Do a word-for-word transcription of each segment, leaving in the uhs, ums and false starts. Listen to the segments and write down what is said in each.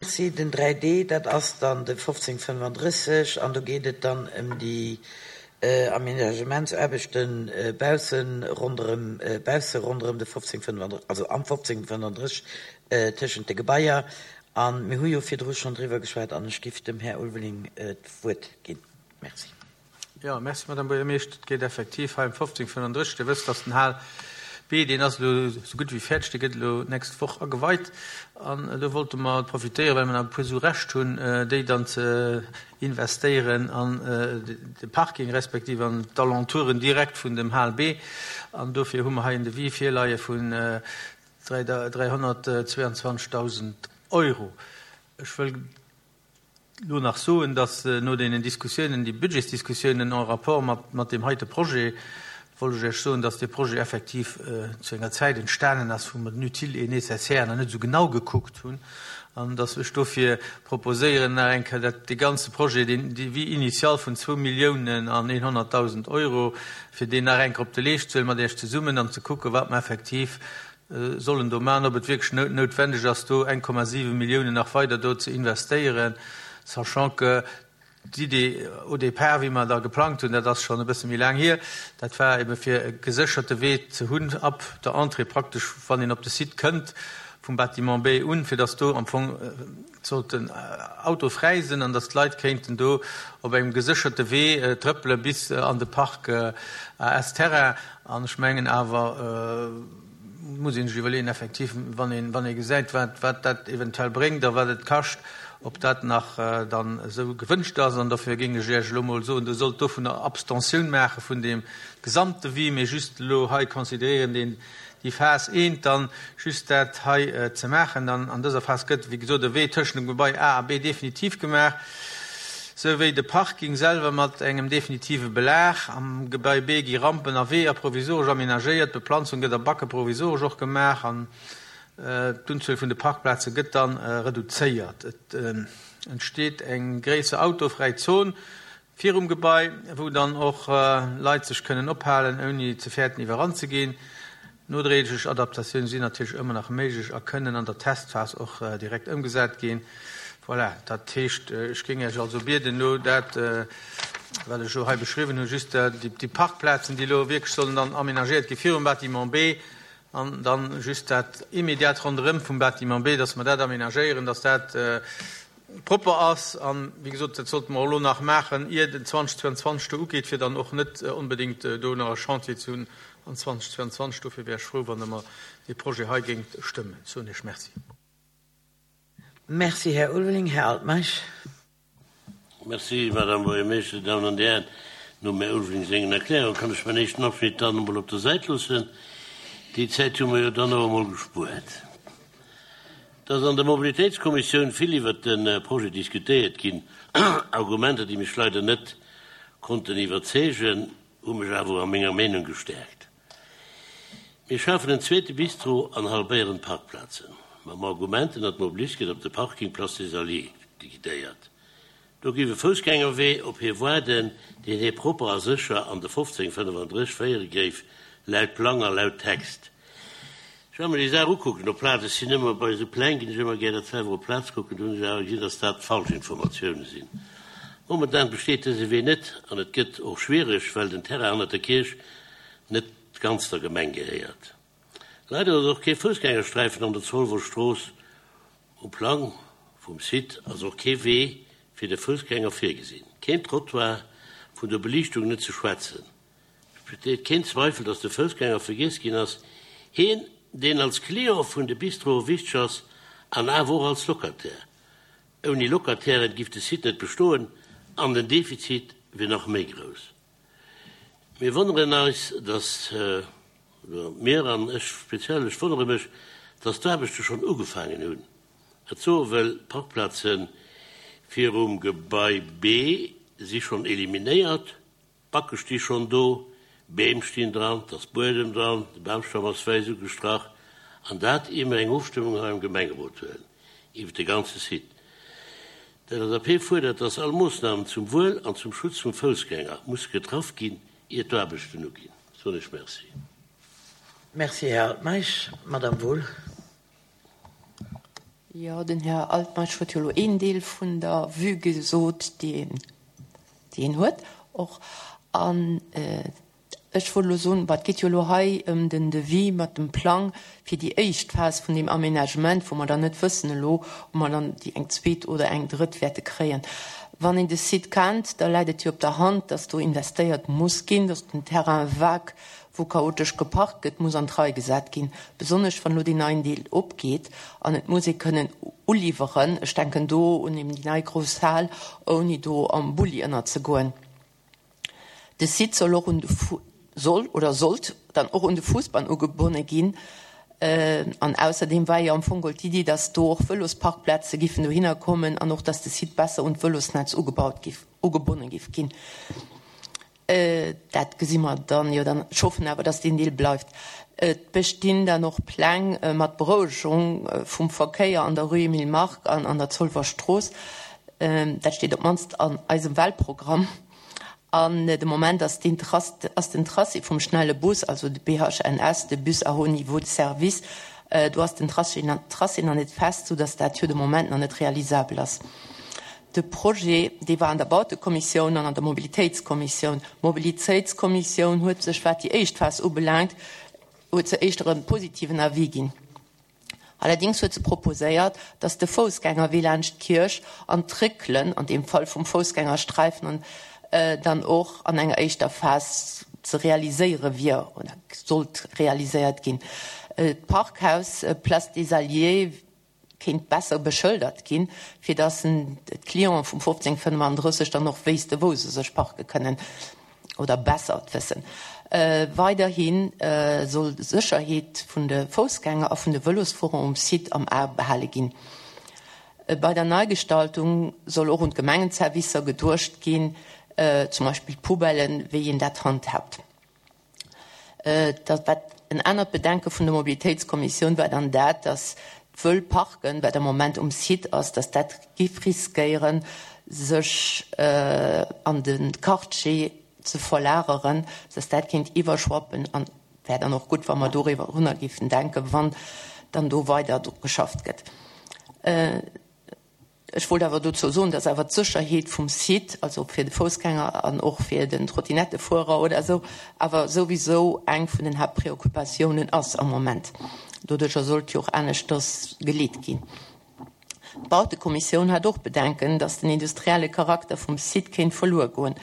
Merci. Den dräi D, dat ass dann de fofzéng fënnefandrësseg an do geet et dann ëm déi Aménagementsaarbechten bausse ronderëm, bausse ronderëm de fofzéng fënnefandrësseg, also am fofzéng fënnefandrësseg tëschent de Gebaier. A mir hu jo virdru schonn driwwer geschwat an ech giff dem Här Ulveling d'Wuert ginn. Merci. Jo, merci, Madame Buergermeeschter. Et geet effektiv hei ëm fofzéng fënnefandrësseg. Dir wësst, dass den Hal B, deen ass elo esou gutt wéi fäerdeg, dee gëtt elo d'nächst Woch ageweit. An elo wollte mer profitéieren, well mer nach e puer Su Rescht hunn, déi dann ze investéieren an de Parking respektiv an d'Alentouren direkt vun dem Hal B. An dofir hu mer hei en Devis virleie vun dräihonnertzweiundzwanzegdausend Euro. Ech wëll elo nach soen, dass no deenen Diskussiounen, déi Budgetsdiskussiounen en rapport mat, mat deem heite Projet, wollt ech Iech soen, dass dee Projet effektiv zu enger Zäit entstanen ass, wou mer den Utile et nécessaire nach net esou genau gekuckt hunn, an dass ech dofir proposéieren, nach eng Kéier dat, dee ganze Projet, deen Devis initial vun zwou Milliounen an eenhonnertdausend Euro, fir deen nach eng Kéier op de Leescht ze huelen mat Iech zesummen an ze kucken, wat mer effektiv sollen do maachen, ob et wierklech noutwendeg ass, do eng Komma siwe Milliounen nach weider do ze investéieren, sachant que d'Idee au départ, wéi mer da geplangt hunn, dat ass schonn e bësse méi laang hier, dat war ebe fir e gesécherte Wee ze hunn ab der Entrée praktesch, wann een op de Site kënnt, vum Bâtiment B un, fir dass do am Fong sollten autofräi sinn an dass d'Leit kéinten do op engem gesécherte Wee trëppele bis an de Parc A S Terrain. An ech mengen awer, muss ee sech iwwerleeën, effektiv, wann een, wann ee gesäit, wat, wat dat eventuell bréngt a wat et kascht, ob dat nach dann esou gewënscht ass. An dofir géing ech Iech elo emol soen, Dir sollt dovunner Abstentioun maache vun deem Gesamtdevis, mee just elo hei consideréieren deen, déi Phas eent, dann just dat hei ze maachen. Dann an dëser Phas gëtt, wéi gesot, e Wee tëschent dem Gebai A a B definitiv gemaach, souwéi de Parking selwer mat engem definitive Belag. Am Gebai B gi Rampen a Weeër provisoresch amenagéiert, d'Beplanzung gëtt a Backe provisoresch och gemaach an d'Unzuel vun de Parkplaze gëtt dann reduzéiert. Et entsteet eng gréisser autofräi Zon virum Gebai, wou dann och Leit sech kënnen ophalen, ouni ze fäerten iwwerrannt ze ginn. Nodréiglech Adaptatioune sinn natierlech ëmmer nach méiglech a kënnen an der Testphas och direkt ëmgesat ginn. Voilà, dat heescht, ech géing Iech also bieden, elo dat, wat ech elo hei beschriwwen hunn, just déi Parkplazen, déi elo wierklech sollen dann amenagéiert gi virum Bâtiment B, an dann just dat immediat ronderëm vum Bâtiment B, dass mer dat amenagéieren, dass dat propper ass. An, wéi gesot, dat sollte mer och elo nach maachen, ier den zweitausendzweiundzwanzeg do ugeet, fir dann och net onbedéngt do nach e Chantier ze hunn an zweitausendzweiundzwanzeg. Dofir wär ech frou, wann Der mer dee Projet hei géingt stëmmen. Soen Iech Merci. Merci, Här Ulveling. Här Altmeisch. Merci, Madame Buergermeeschter. Damen an Dir Hären, nom Här Ulveling sengen Erklärungen kann ech mäin éischten Abschnitt dann emol op der Säit loossen. Déi Zäit hu mer jo dann och emol gespuert. Et ass an der Mobilitéitskommissioun vill iwwert de Projet diskutéiert ginn. Argumenter, déi mech leider net konnten iwwerzeegen, hu mech awer a menger Meenung gestärkt. Mir schafen en zweete Bistro an halbéieren d'Parkplazen, mam Argument, den Automobilist gëtt op de Parking Place des Alliés guidéiert. Do géif e Foussgängerwee op hie waarden, deen hie propper a sécher an de fofzéng fënnefandrësseg féiere géif, laut Plang a laut Text. Ech war mer déi Saach ukucken op Plaz. Ech sinn ëmmer bei esou Pläng, ginn ech ëmmer gär dat selwer op Plaz kucken. Do hunn ech awer gesinn, dass dat falsch Informatioune sinn. Momentan besteet dëse Wee net an et gëtt och schwiereg, well den Terrain hannert der Kierch net ganz der Gemeng gehéiert. Leider ass och kee Foussgängersträifen an der Zolwer Strooss. Um Plang vum Site ass och kee Wee fir de Foussgänger virgesinn, keen Trottoir, vun der Beliichtung net ze schwätzen. Et besteet keen Zweifel, datt de Foussgänger vergiess ginn ass, hien, deen als Client vun de Bistroe wichteg ass an awer och als Locataire. Ouni Locatairen giff de Site net bestoen an den Defizit wier nach méi grouss. Mir wonneren eis, datt, oder mir an ech speziell, ech wonnere mech, datt d'Aarbechte schonn ugefaangen hunn. Dat soe wëll, d'Parkplaze virum Gebai B si schonn eliminéiert, d'Backe sti schonn do, Beem stinn dran, et ass Buedem dran, de Bamstamm ass wäiss ugestrach, an dat ier mir eng Ofstëmmung hei am Gemengerot huelen iwwert de ganze Site. D'LSAP fuerdert, dass all Moossnamen zum Wuel an zum Schutz vum Foussgänger musse getraff ginn, ier d'Aarbechten uginn. Soen ech Merci. Merci, Här Altmeisch. Madame Wohl. Jo, den Här Altmeisch huet jo elo een Deel vun der Vue gesot, déi een, déi een huet och. An ech wollt elo soen, bah, et geet jo elo hei ëm den Devis mat dem Plang fir déi éischt Phas vun deem Aménagement, wou mer dann net wëssen elo, ob mer dann déi eng zweet oder eng drëtt wäerte kréien. Wann een de Site kennt, da läit et jo op der Hand, dass do investéiert muss ginn, dass den Terrain vague, wou chaotesch geparkt gëtt, muss an d'Rei gesat ginn, besonnesch wann elo deen neien Deel opgeet an et muss ee kënnen uliwweren, ech denken do un eben déi nei grouss Hal, ouni do am Bulli ënnerzegoen. De Site soll och un de Fu-, soll oder sollt dann och un de Fuussbann ugebonne ginn. An ausserdeem war jo am Fong geholl d'Iddi, dass do och Vëlosparkplaze giffen dohinner kommen an och, dass de Site besser un d'Vëlosnetz ugebaut giff, ugebonne giff ginn. Dat gesi mer dann jo dann. Ech hoffen awer, dass deen Deel bleift. Et bestinn dann och Pläng mat Berouegung vum Verkéier an der Rue Emile Mark an an der Zolwer Strooss. Dat steet op d'mannst an eisem Wahlprogramm. An de Moment ass deen Trass, ass den Tracé vum schnelle Bus, also de B H N S, de Bus à haut niveau de service, do ass den Tracé Tracé nach net fest, soudass dat jo de Moment nach net realisabel ass. De Projet, dee war an der Bautekommissioun an an der Mobilitéitskommissioun. D'Mobilitéitskommissioun huet sech, wat déi éischt Phas ubelaangt, huet se éischter e positiven Avis ginn. Allerdings huet se proposéiert, dass de Foussgängerwee laanscht d'Kierch an d'Réckelen, an deem Fall vum Foussgängersträifen, an, äh, dann och an enger éischter Phas ze realiséiere wier oder sollt realiséiert ginn. Äh, d'Parkhaus, äh, Place des Alliés kéint besser beschëldert ginn, fir dass d'Clienten vum fofzéng fënnefandrësseg dann och wéisste, wou se sech parke kënnen oder besser wëssen. Äh, weiderhin, äh, soll d'Sécherheet vun de Foussgänger a vun de Vëlosfuerer um Site am A behale ginn. Äh, bei der Neigestaltung soll och un d'Gemengenservicer geduecht ginn, äh, zum Beispill d'Poubellen, wéi een dat handhabt. Äh, dat wat en anert Bedenke vun der Mobilitéitskommissioun war dann dat, dass d'Wëllparken, wat am Moment um Site ass, dass dat giff riskéieren, sech, äh, an den Quartier ze verlageren, dass dat kéint iwwerschwappen an wär dann och gutt, wa mer doriwwer runner giffen denken, wann dann do weider dru geschafft gëtt. Äh, ech wollt awer dozou soen, dass awer d'Sécherheet vum Site, also fir de Foussgänger an och fir den Trottinettefuerer oder esou, awer souwisou eng vun den Haaptpreoccupatiounen ass am Moment. Doduercher sollt jo och aneschters geleet ginn. D'Bautekommissioun hat och Bedenken, dass den industrielle Charakter vum Site kéint verluer goen.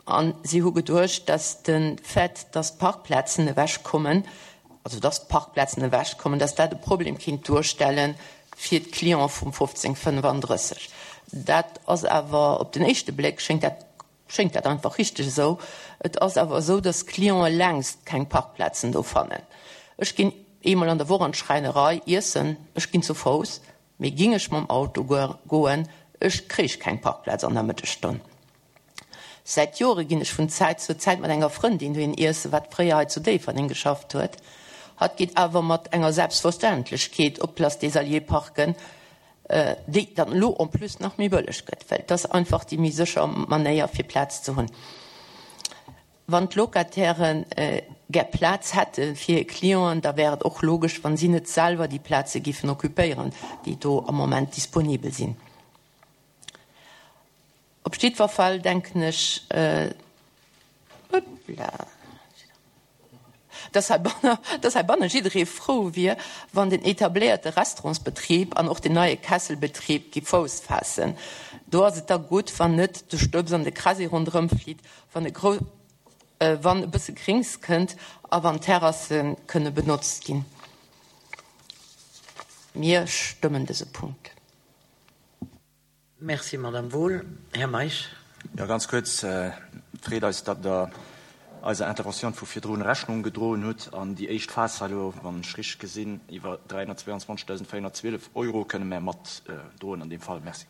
An si hu geduecht, dass den Fait, dass d'Parkplazen ewechkommen, also dass d'Parkplazen ewechkommen, dass dat e Problem kéint duerstellen fir d'Client vum fofzéng fënnefandrësseg. Dat ass awer op den éischte Bléck schéngt dat, schéngt dat einfach richteg esou. Et ass awer esou, dass d'Clienten längst keng Parkplazen do fannen. Ech ginn eemol an der Woch an d'Schräinerei iessen, ech ginn zu Fouss, mee ging ech mam Auto goen, ech kréich keng Parkplaz an der Mëttesstonn. Säit Jore ginn ech vun Zäit zu Zäit mat enger Frëndin dohin iessen, wat fréier hei zu Déifferdeng geschafft huet. Hatt geet awer mat enger Selbstverständlechkeet op d'Place des Alliés parken, äh, déi dann elo en plus nach méi bëlleg gëtt, well dat ass einfach déi méi sécher Manéier fir Plaz ze hunn. Wann d'Locatairen, äh, gär Plaz hätte fir hir Clienten, da wär et och logesch, wann si net selwer déi Plaze giffen occupéieren, déi do am Moment disponibel sinn. Op jiddwer Fall denken ech, äh, hoppla, dass heibanne, dass heibanne jidderee frou wier, wann den etabléierte Restaurantsbetrib an och den neie Kesselbetrib gi Fouss faassen. Do ass et da gutt, wann net de Stëbs an de Krasi ronderëm flitt, wann e gro-, äh, wann e bësse Grings kënnt a wann Terrasse kënne benotzt ginn. Mir stëmmen dëse Punkt. Merci, Madame Wohl. Här Meisch. Ja, ganz kurz, äh, freet eis, datt der eiser Intervention vu virdrun Rechnung gedroen huet an déi éischt Phas elo, wann ech richteg gesinn, iwwer dräihunnertzweiundzwanzegdausendvéierhunnertzwielef Euro kënne mer mat, äh, droen an dem Fall. Merci.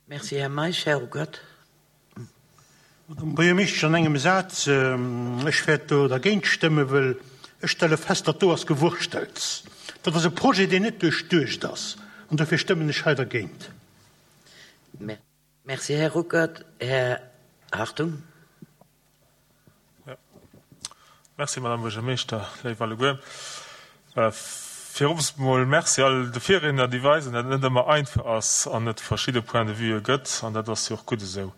Merci, Här Meisch. Här Ruckert. Madame Buergermeeschtesch, an engem Saz, ähm, ech wäert do dergéint stëmmen, well ech stelle fest, datt do ass gewurschtelt. Dat ass e Projet, deen net duerchduecht ass. An dofir stëmmen ech hei dergéint. Mer-, Merci, Här Ruckert. Här Hartung. Ja. Merci, Madame Buergermeeschter, léif alleguer. Äh, Virops mol Merci all de Virriedner, déi weisen, datt et net ëmmer einfach ass an et verschidde Points de vue gëtt, an dat ass jo och gutt esou.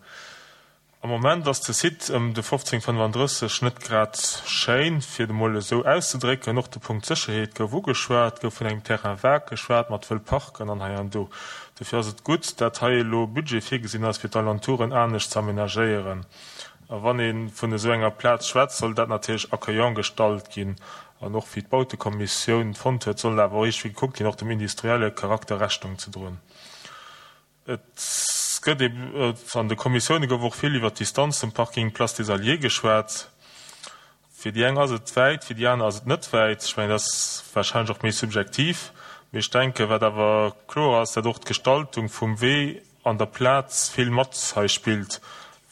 Am Moment ass de Site ëm de fofzéng fënnefandrësseg net grad schéin, fir et emol esou auszedrécken. Och de Punkt Sécherheet gouf ugeschwat, et gouf vun engem Terrain vague geschwat mat wëll Parken an hei an do. Dofir ass et gutt, dat hei elo Budget virgesinn ass, fir d'Alentouren anescht ze amenagéieren. A wann ee vun esou enger Plaz schwätzt, soll dat natierlech accueillant gestallt ginn. An och wéi d'Bautekommissioun fonnt huet, soll awer och iergendwéi gekuckt ginn, och dem industrielle Charakter Rechnung ze droen. Et gëtt ee, an de Kommissioune gouf och vill iwwert d'Distanz zum Parking Place des Alliés geschwat. Fir déi eng ass et wäit, fir déi aner ass et net wäit. Ech mengen, dat ass warscheinlech och méi subjektiv. Mee ech denken, wat awer kloer ass, dat och d'Gestaltung vum Wee an der Plaz vill mat hei spillt,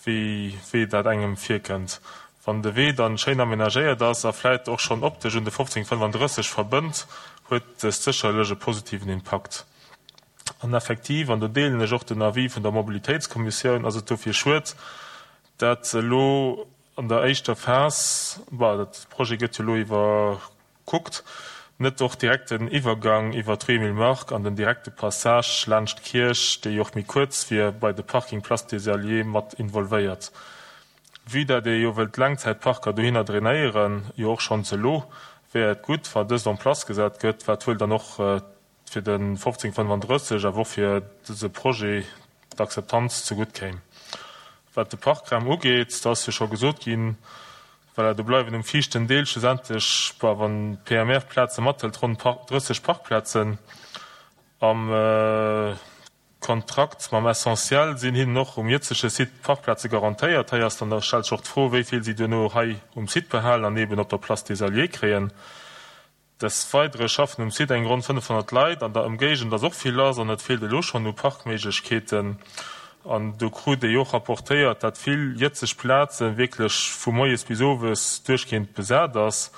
wéi wéi dat engem virkënnt. Wann de Wee dann schéin amenagéiert ass a vläit och schonn optesch un de fofzéng fënnefandrësseg verbënnt, huet dëst sécherlech e positiven Impakt. An effektiv, an do deelen ech och den Avis vun der Mobilitéitskommissioun, ass et dofir schued, dat elo an der éischter Phas, bon, dat Projet gëtt jo elo iwwerkuckt, net och direkt den Iwwergang iwwer d'Rue Emile Mark an den direkte Passage laanscht d'Kierch, dee jo och méi kuerz wier, bei de Parking Place des Alliés mat involvéiert. Vue dat ee jo wëllt Laangzäitparker dohinner drainéieren, jo och schonns elo, wär et gutt, wa dëst en place gesat gëtt, wat wuel dann och fir de fofzéng fënnefandrësseg awer och fir dëse Projet d'Akzeptanz zegutt kéim. Wat de Parkraum ugeet, do ass jo scho gesot ginn, voilà, do bleiwen um viischten Deel schlussendlech, bon, wann d'P M R-Plaze mathëlt, ronn drësseg Parkplazen. Am Kontrakt mam Essentiel sinn hinnen och um jëtzege Site Parkplaze garantéiert. Hei ass dann, da stellt sech och d'Fro, wéi vill si duerno hei um Site behalen an eeben op der Place des Alliés kréien. Des Weidere schaffen um Site eng ronn fënnefhonnert Leit, an der Ëmgéigend ass och vill lass an et feelt elo schonn u Parkméiglechkeeten. An do krut ee jo och rapportéiert, dat vill jëtzeg Plaze wierklech vu moies bis owes duerchgehend besat ass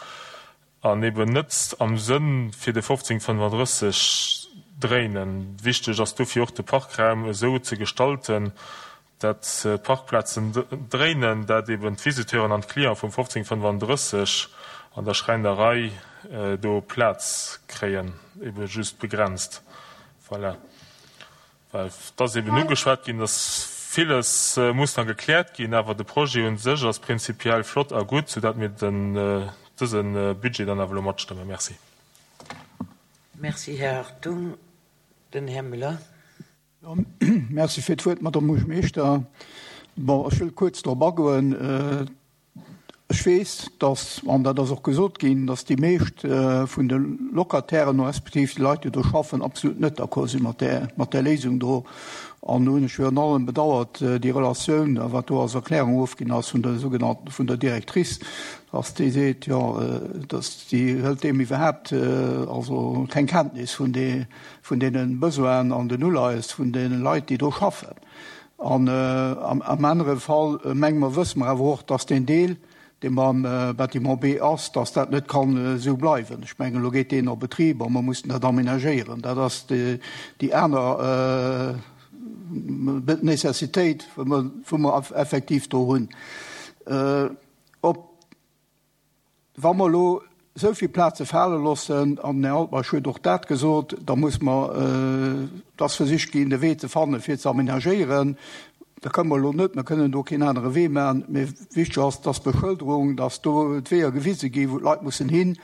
an eben net am Sënn fir de fofzéng fënnefandrësseg dréinen. Wichteg ass dofir och de Parkraum esou ze gestalten, dat d'Parkplazen dréinen, dat eben d'Visiteuren an d'Clienten vum fofzéng fënnefandrësseg an der Schräinerei do Plaz kréien, ebe just begrenzt. Voilà. Well et ass eben ugeschwat ginn, dass villes muss nach gekläert ginn, awer de Projet un sech ass prinzipiell flott a gutt, soudatt mir den dëse Budget dann awer elo matstëmmen. Merci. Merci, Här Hartung. Den Här Müller. Merci fir d'Wuert, Madame Buergermeeschter. Bon, ech wëll kuerz drop agoen. Ech weess, dass, an dat ass och gesot ginn, dass déi meescht vun de Locatairen respektiv déi Leit, déi do schaffen, absolut net d'accord si mat där, mat där Léisung do. An do hunn ech virun allem bedauert déi Relatioun, wat do als Erklärung ofginn ass vun der sougenannten, vun der Directrice, dass déi seet, jo, dass déi hëlt deem iwwerhaapt also keng Kenntnis vun de, vun deene Besoinen an den Uleies vun deene Leit, déi do schaffen. An am anere Fall menge mer, wësse mer awer och, dass deen Deel, dee mam Bâtiment B ass, dass dat net kann esou bleiwen. Ech mengen, elo geet deen a Betrib a mer mussen dat aménagéieren. Dat ass déi aner Nécessitéit, wou mer effektiv do hunn. Ob, wa mer elo esou vill Plaze fale loossen, an den Här Altmeisch huet och dat gesot, da muss mer, et ass versicht ginn, de Wee ze fannen, fir ze aménagéieren. Da kënne mer elo net, mer kënnen do keen anere Wee maachen, mee wichteg ass, dass d'Beschëlderung, dass do d'Weeër gewise ginn, wou d'Leit mussen hin,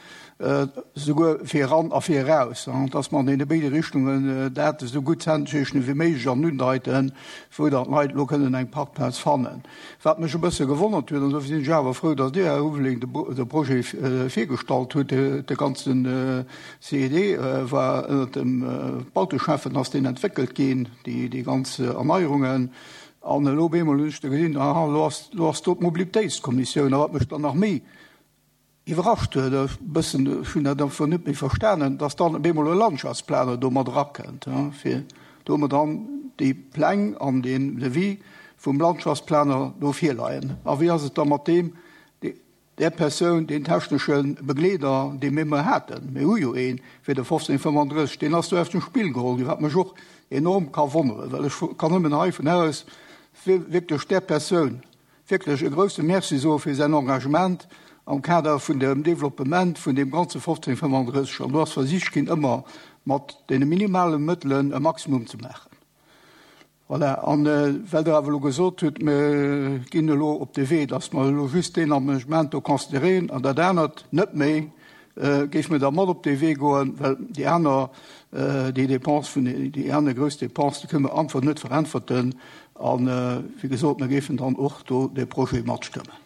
souguer fir eran a fir eraus, dass mer an deene béide Richtungen dat esou gutt kennzeechnen wéi méiglech an undeiten, wou dann d'Leit elo kënnen eng Parkplaz fannen. Wat mech e bësse gewonnert huet, an dofir sinn ech awer frou, dass Dir, Här Ulveling, de Projet virgestallt hutt, de ganzen C E D war ënnert dem Bauteschäffen ass deen entwéckelt ginn, déi ganz Erneierungen. An elo op eemol hunn ech da gesinn, aha, elo ass, elo ass do d'Mobilitéitskommissioun. A wat mech dann nach méi iwwerrascht huet, e bëssen, ech hunn dat einfach net méi verstanen, dass dann op eemol e Landschaftsplaner do mat erakënnt, fir do hu mer dann déi Pläng an deen Devis vum Landschaftsplaner do virleien. A wéi ass et da mat deem, där Persoun, deen technesche Begleeder, dee mir ëmmer haten? Mir hu jo een fir de fofzéng fënnefandrësseg, deen ass do aus dem Spill geholl ginn, wat mech och enorm ka wonneren, well ech kann nëmmen hei vun aus wierklech där Persoun wierklech e grouse Merci soe fir säin Engagement am Kader vun dem Developpement vun deem ganze fofzéng fënnefandrësseg. An do ass versicht ginn, ëmmer mat deene minimale Mëttelen e Maximum ze maachen. Voilà. An well Der awer elo gesot hutt, mir ginn elo op de Wee, dass mer elo just deen Aménagement do consideréieren an dat anert net méi, géife mir da mat op dee Wee goen, well déi aner, déi Dépense vun, déi aner grouss Dépense, déi kënne mer einfach net veräntwerten. A wéi gesot, mir géifen dann och do dee Projet matstëmmen.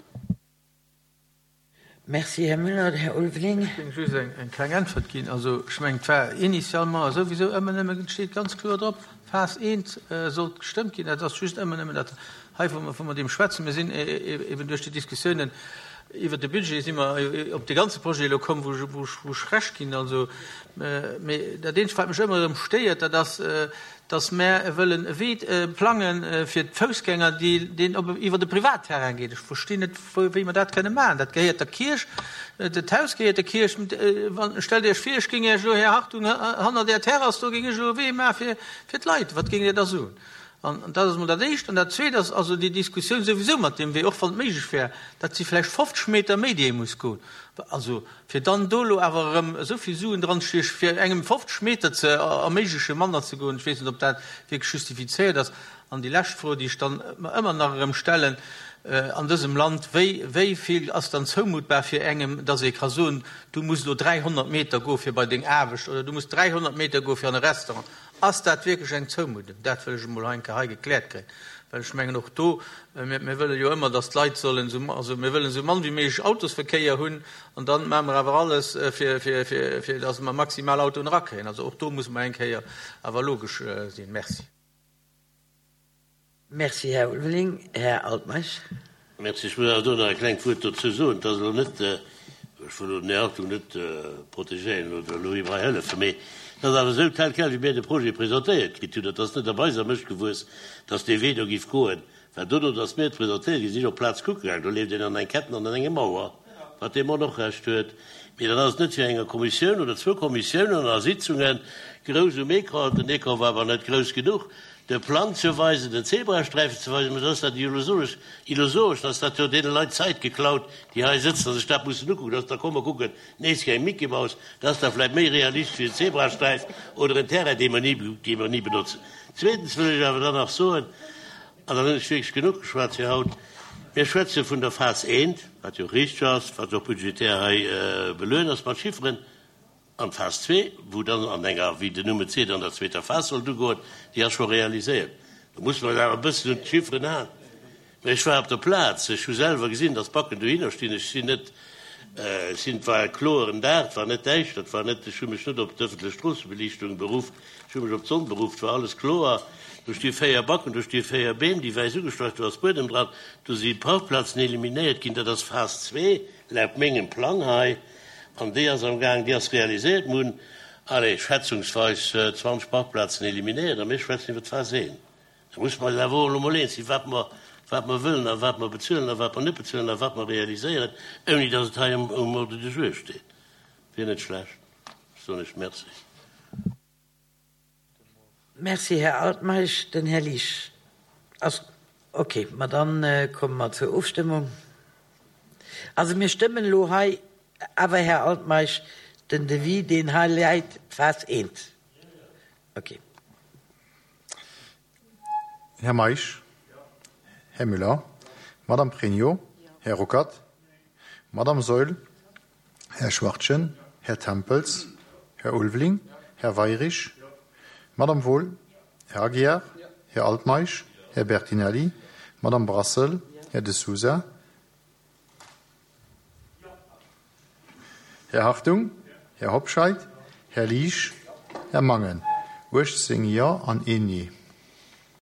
Merci, Här Müller. Här Ulveling. Ech géing just eng kleng Äntwert ginn. Also, ech mengen, et war initialement souwisou ëmmer nëmmen, et steet ganz kloer drop, Phas eent sollt gestëmmt ginn. Dat ass just ëmmer nëmmen dat hei, wou mer, wou mer deem schwätzen. Mir sinn eben duerch déi Diskussiounen iwwert de Budget si mer op dee ganze Projet elo komm, wou ech, wou ech, wou ech Recht ginn. Also, mee dat eenzegt, wat mech ëmmer erëm stéiert, dat ass, dass mär wëllen e Wee plange fir d'Foussgänger, deen op iwwer de Privatterrain geet. Ech verstinn net, wéi mer dat kënne maachen. Dat gehéiert der Kierch, dat Haus gehéiert der Kierch. Stellt Iech vir, ech géing Iech elo, Här Hartung, hannert Är Terrass do géing ech elo e Wee maache fir d'Leit. Wat géingt Dir da soen? An dat ass emol dat Éischt. An dat Zweet ass also déi Diskussioun souwisou mat deem Wee, och wann et méiglech wär, dat si vläicht fofzeg Meter méi, déi ee muss goen. Also, fir dann do elo awer erëm esou vill Suen dranstiechen, fir engem fofzeg Meter ze erméiglechen, manner ze goen, ech weess net, ob dat wierklech justifizéiert ass. An déi lescht Fro, déi ech dann mer ëmmer nach erëm stellen an dësem Land, Wéi, wéi vill ass dann zoumuttbar fir engem, dass ee ka soen, du muss elo dräihonnert Meter goe fir bei deng Aarbecht oder du muss dräihonnert Meter goe fir an e Restaurant? Ass dat wierklech eng Zoumuddung? Dat wëll ech emol hei eng Kéier hei gekläert kréien, well ech mengen och do, mir, mir wëlle jo ëmmer, dass d'Leit sollen esou, also mir wëllen esou mann wéi méiglech Autosverkéier hunn an dann maache mer awer alles, fir, fir, fir, fir dass mer maximal Autoen erakréien. Also och do musse mer eng Kéier awer logesch sinn. Merci. Merci, Här Ulveling. Här Altmeisch. Merci. Ech muss awer do nach e klengt Wuert dozou soen. Et ass elo net, ech wëll elo den Här Hartung net protegéieren oder elo him hei hëllefen, mee et ass awer esou, tel quel wéi mir de Projet presentéiert kritt hunn, dat ass net op eiser Mëscht gewuess, dass dee Wee do giff goen, well dono, dass mir et presentéiert ginn, sinn ech op d'Plaz kucke gaangen, do leeft een an eng Ketten an an enge Mauer, wat dee Mann och Recht huet. Mee dann ass et net fir enger Kommissioun oder zwou Kommissiounen a Sitzunge grouss um Ecran, den Ecran war awer net grouss genuch, de Plang ze weisen, den Zebrasträifen ze weisen, mä da ass dat illusoresch, illusoresch, dann ass dat jo deene Leit Zäit geklaut, déi hei sëtzen a sech dat mussen ukucken, dass da komm mer kucken nees keng Mickey-Maus, dat ass da vläicht méi realistesch wéi en Zebrasträif oder en Terrain, dee mer ni, dee mer ni benotzen. Zweetens wëll ech awer dann nach soen, an dann hunn ech wierklech genuch geschwat fir haut, Mir schwätze vun der Phas eent, wat jo richteg ass, wat och budgetär hei beluecht ass mat Chifferen, An d'Phas zwee, wou dann an enger, wéi den Numm et seet, an der zweeter Phas sollt ugoen, déi ass scho realiséiert. Do musse mer eis awer e bëssen un d'Chifferen halen. Mä ech war op der Plaz, ech hu selwer gesinn, datt d'Backen dohinner stinn. Ech sinn net, ech sinn, et war e kloeren Dag, et war net däischter, et war net, ech hu mech net op d'ëffentlech Stroossebeliichtung beruff, ech hu mech op d'Sonn beruff, et war alles kloer. Do sti véier Backen, do sti véier Beem, déi wäiss ugestrach, do ass Buedem dran, do si Parkplazen eliminéiert ginn. Dat ass Phas zwee laut mengem Plang hei. An déi ass am Gaang, déi ass realiséiert. Mir hunn, allez, schätzungsweis zwanzeg Parkplazen eliminéiert a mir schwätzen iwwer d'Phas eent. Da musse mer eis awer och elo mol eens sinn, wat mer, wat mer wëllen a wat mer bezuelen a wat mer net bezuelen a wat mer realiséieren, ouni datt et hei um Ordre du jour steet. Wier net schlecht. Ech soen lech Merci. Merci, Här Altmeisch. Den Här Liesch ass. Okay, ma dann komme mer zur Ofstëmmung. Also mir stëmmen elo hei awer, Här Altmeisch, den Devis, deen hei läit, d'Phas eent. Okay. Här Meisch, Här Müller, Madame Pregno, Här Ruckert, Madame Saeul, Här Schwachtgen, Här Tempels, Här Ulveling, Här Weirich, Madame Wohl, Här Aguiar, Här Altmeisch, Här Bertinelli, Madame Brassel, Här De Sousa, Här Hartung, Här Hobscheit, Här Liesch, Här Mangen. uechtzéng Jo an een Nee.